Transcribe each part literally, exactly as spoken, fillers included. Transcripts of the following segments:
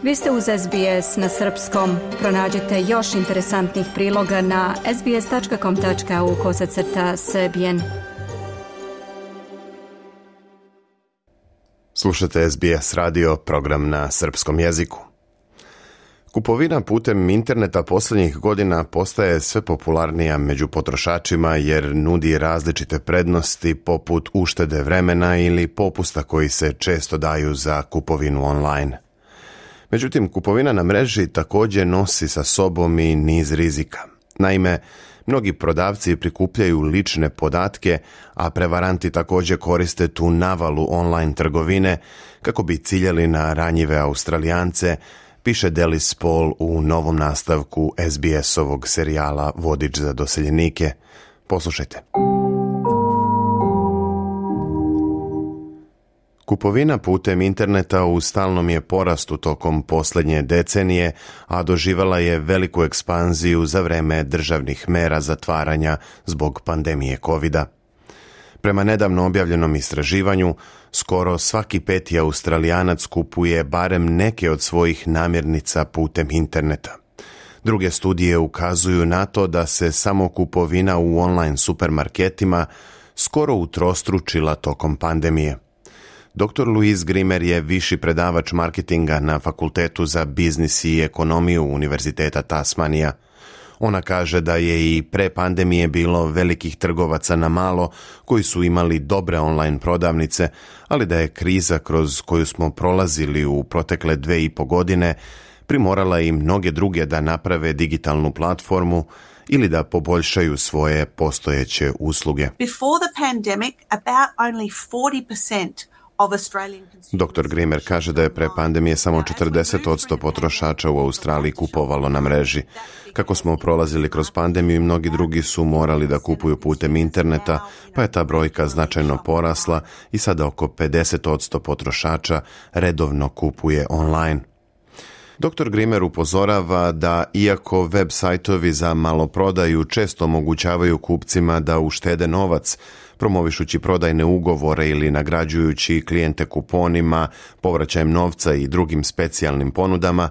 Vi ste uz S B S na srpskom. Pronađite još interesantnih priloga na sbs.com.au kosacrta srbijen. Slušate S B S radio, program na srpskom jeziku. Kupovina putem interneta posljednjih godina postaje sve popularnija među potrošačima jer nudi različite prednosti poput uštede vremena ili popusta koji se često daju za kupovinu online. Međutim, kupovina na mreži također nosi sa sobom i niz rizika. Naime, mnogi prodavci prikupljaju lične podatke, a prevaranti također koriste tu navalu online trgovine kako bi ciljali na ranjive Australijance, piše Delis Paul u novom nastavku S B S-ovog serijala Vodič za doseljenike. Poslušajte. Kupovina putem interneta u stalnom je porastu tokom posljednje decenije, a doživala je veliku ekspanziju za vreme državnih mera zatvaranja zbog pandemije kovida. Prema nedavno objavljenom istraživanju, skoro svaki peti Australijanac kupuje barem neke od svojih namirnica putem interneta. Druge studije ukazuju na to da se samo kupovina u online supermarketima skoro utrostručila tokom pandemije. doktor Louise Grimer je viši predavač marketinga na Fakultetu za biznis i ekonomiju Univerziteta Tasmanija. Ona kaže da je i pre pandemije bilo velikih trgovaca na malo koji su imali dobre online prodavnice, ali da je kriza kroz koju smo prolazili u protekle dve i po godine primorala i mnoge druge da naprave digitalnu platformu ili da poboljšaju svoje postojeće usluge. Before the pandemic, about only forty percent doktor Grimer kaže da je pre pandemije samo četrdeset posto potrošača u Australiji kupovalo na mreži. Kako smo prolazili kroz pandemiju i mnogi drugi su morali da kupuju putem interneta, pa je ta brojka značajno porasla i sada oko pedeset posto potrošača redovno kupuje online. doktor Grimer upozorava da iako web sajtovi za maloprodaju često omogućavaju kupcima da uštede novac, promovišući prodajne ugovore ili nagrađujući klijente kuponima, povraćajem novca i drugim specijalnim ponudama,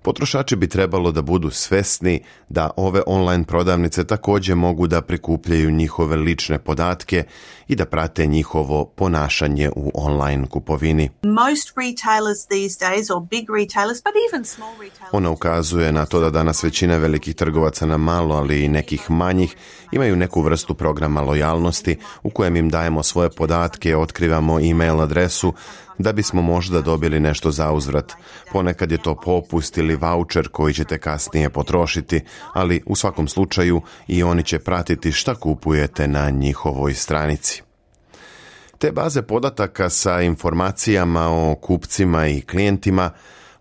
potrošači bi trebalo da budu svesni da ove online prodavnice također mogu da prikupljaju njihove lične podatke i da prate njihovo ponašanje u online kupovini. Most retailers these days, or big retailers, but even small retailers. Ona ukazuje na to da danas većina velikih trgovaca na malo, ali i nekih manjih, imaju neku vrstu programa lojalnosti u kojem im dajemo svoje podatke, otkrivamo e-mail adresu, da bismo možda dobili nešto za uzvrat. Ponekad je to popust ili voucher koji ćete kasnije potrošiti, ali u svakom slučaju i oni će pratiti šta kupujete na njihovoj stranici. Te baze podataka sa informacijama o kupcima i klijentima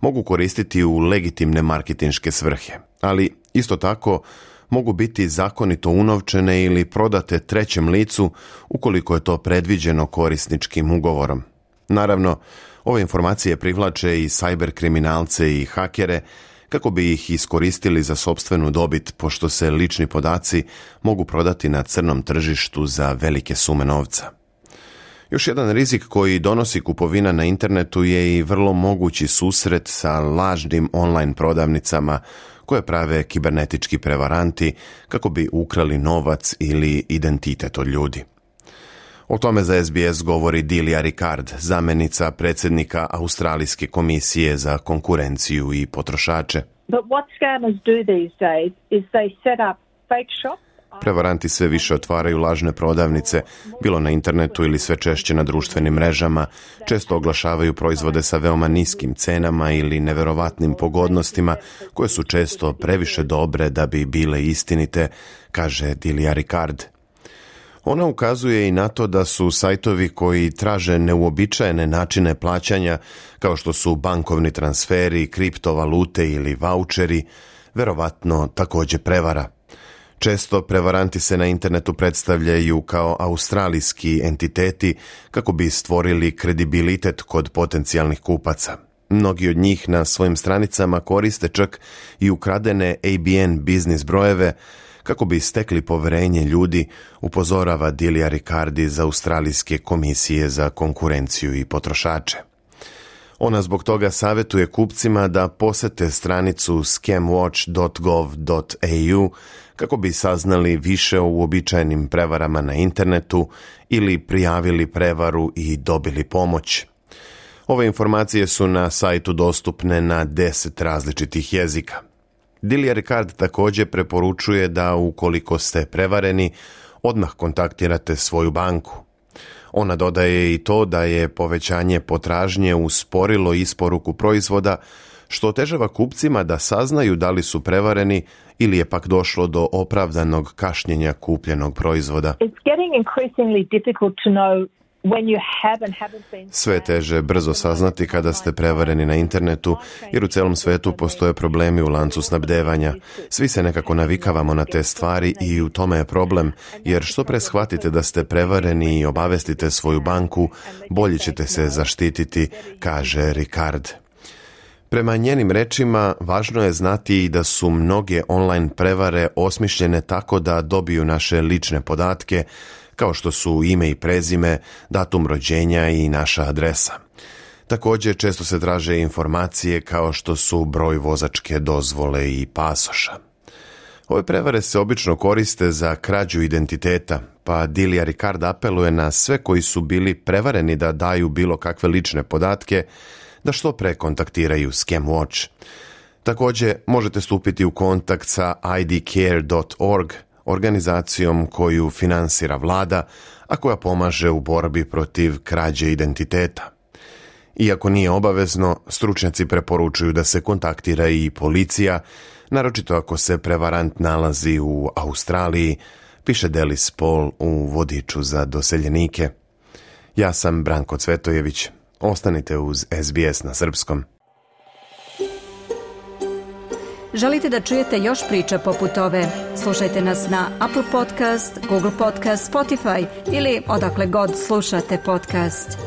mogu koristiti u legitimne marketinške svrhe, ali isto tako mogu biti zakonito unovčene ili prodate trećem licu ukoliko je to predviđeno korisničkim ugovorom. Naravno, ove informacije privlače i sajber kriminalce i hakere kako bi ih iskoristili za sopstvenu dobit, pošto se lični podaci mogu prodati na crnom tržištu za velike sume novca. Još jedan rizik koji donosi kupovina na internetu je i vrlo mogući susret sa lažnim online prodavnicama koje prave kibernetički prevaranti kako bi ukrali novac ili identitet od ljudi. O tome za S B S govori Delia Ricard, zamjenica predsjednika Australijske komisije za konkurenciju i potrošače. But what scammers do these days is they set up fake shops. Prevaranti sve više otvaraju lažne prodavnice, bilo na internetu ili sve češće na društvenim mrežama, često oglašavaju proizvode sa veoma niskim cenama ili neverovatnim pogodnostima, koje su često previše dobre da bi bile istinite, kaže Delia Ricard. Ona ukazuje i na to da su sajtovi koji traže neuobičajene načine plaćanja, kao što su bankovni transferi, kriptovalute ili vaučeri, verovatno također prevara. Često prevaranti se na internetu predstavljaju kao australijski entiteti kako bi stvorili kredibilitet kod potencijalnih kupaca. Mnogi od njih na svojim stranicama koriste čak i ukradene A B N biznis brojeve kako bi stekli poverenje ljudi, upozorava Delia Ricard iz Australijske komisije za konkurenciju i potrošače. Ona zbog toga savjetuje kupcima da posete stranicu scam watch dot gov dot a u kako bi saznali više o uobičajenim prevarama na internetu ili prijavili prevaru i dobili pomoć. Ove informacije su na sajtu dostupne na deset različitih jezika. Delia Ricard također preporučuje da ukoliko ste prevareni, odmah kontaktirate svoju banku. Ona dodaje i to da je povećanje potražnje usporilo isporuku proizvoda, što otežava kupcima da saznaju da li su prevareni ili je pak došlo do opravdanog kašnjenja kupljenog proizvoda. Sve teže brzo saznati kada ste prevareni na internetu, jer u celom svetu postoje problemi u lancu snabdevanja. Svi se nekako navikavamo na te stvari i u tome je problem, jer što pre shvatite da ste prevareni i obavestite svoju banku, bolje ćete se zaštititi, kaže Ricard. Prema njenim rečima, važno je znati i da su mnoge online prevare osmišljene tako da dobiju naše lične podatke, kao što su ime i prezime, datum rođenja i naša adresa. Također često se traže informacije kao što su broj vozačke dozvole i pasoša. Ove prevare se obično koriste za krađu identiteta, pa Delia Ricard apeluje na sve koji su bili prevareni da daju bilo kakve lične podatke, da što pre kontaktiraju Scam Watch. Također možete stupiti u kontakt sa i d care dot org, organizacijom koju finansira vlada, a koja pomaže u borbi protiv krađe identiteta. Iako nije obavezno, stručnjaci preporučuju da se kontaktira i policija, naročito ako se prevarant nalazi u Australiji, piše Delis Paul u vodiču za doseljenike. Ja sam Branko Cvetojević. Ostanite uz S B S na srpskom. Želite da čujete još priča poput ove? Slušajte nas na Apple Podcast, Google Podcast, Spotify ili odakle god slušate podcast.